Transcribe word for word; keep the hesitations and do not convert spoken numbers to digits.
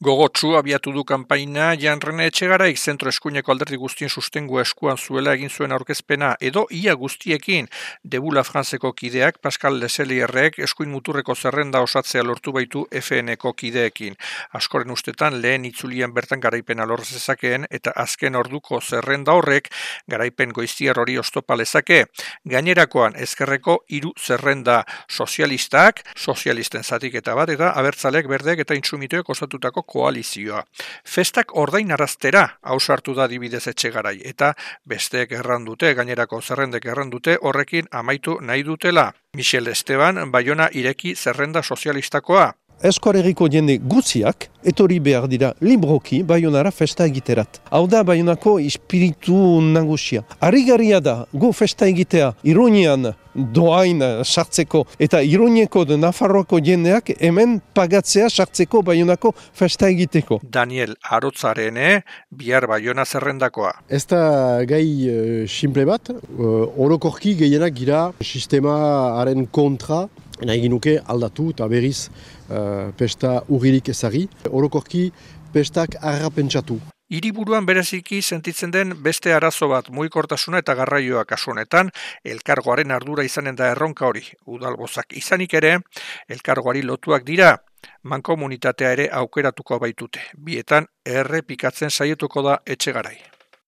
Gogotsu abiatu du kanpaina Jan Rene Etxegaraik zentro eskuineko alderdi guztien sustengua eskuan zuela egin zuen aurkezpena edo ia guztiekin Debula Frantzeko kideak Pascal Leselierrek eskuin muturreko zerrenda osatzea lortu baitu F N-ko kideekin. Askoren ustetan lehen itzulian bertan garaipena lor zezakeen eta azken orduko zerrenda horrek garaipen goiztiar hori oztopa lezake. Gainerakoan ezkerreko hiru zerrenda sozialistak, sozialisten zatiketa bat eta abertzaleak berdeek eta intsumituek osatutako koalizioa. Festak ordainaraztera ausartu da adibidez Etxegarai eta besteek errandute, gainerako zerrendek errandute horrekin amaitu nahi dutela. Michel Esteban, Baiona ireki zerrenda sozialistakoa. Eskuaregiko jende gutziak, etori behar dira libroki Baionara festa egiterat. Hau da Baionako espiritu nagusia. Harrigarria da, go festa egitea Iruñean doain sartzeko eta Iruñeko de Nafarroako jendeak hemen pagatzea sartzeko Baionako festa egiteko. Daniel Arotzarene, bihar Baiona zerrendakoa. Ez da gai uh, simple bat, uh, orokorki gehienak gira sistemaren kontra, nahi ginuke aldatu eta berriz uh, pesta urririk ezari. Orokorki pestak harrapentsatu. Hiriburuan bereziki sentitzen den beste arazo bat mugikortasuna eta garraioa kasu honetan, elkargoaren ardura izanen da erronka hori. Udalbozak izanik ere, elkargoari lotuak dira. Mankomunitatea ere aukeratuko baitute. Bietan errepikatzen saietuko da Etxegarai.